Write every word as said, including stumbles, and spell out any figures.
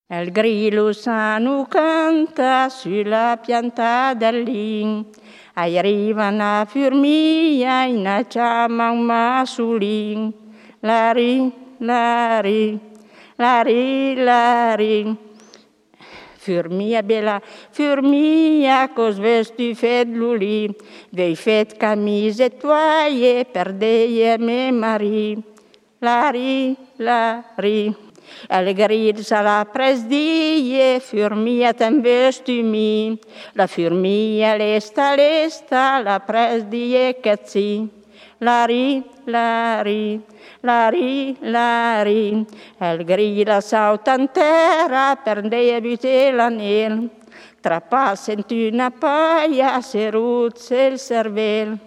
El grillo sano canta sulla pianta del lin. Arriva una formica e una chiama un massolin. Lari, lari, lari, lari. Formica bella, formica, cos ves tu fet l'oli? Vei fet camise toie per deie me mari. Lari, lari. El grill se l'ha pres die, formica te'n ves tu mi. La formica lesta, lesta, l'ha pres die que sí. Lari, lari, lari, lari. El grill salta en terra per deie buter l'anell. Trapassent una paia, serut el cervell.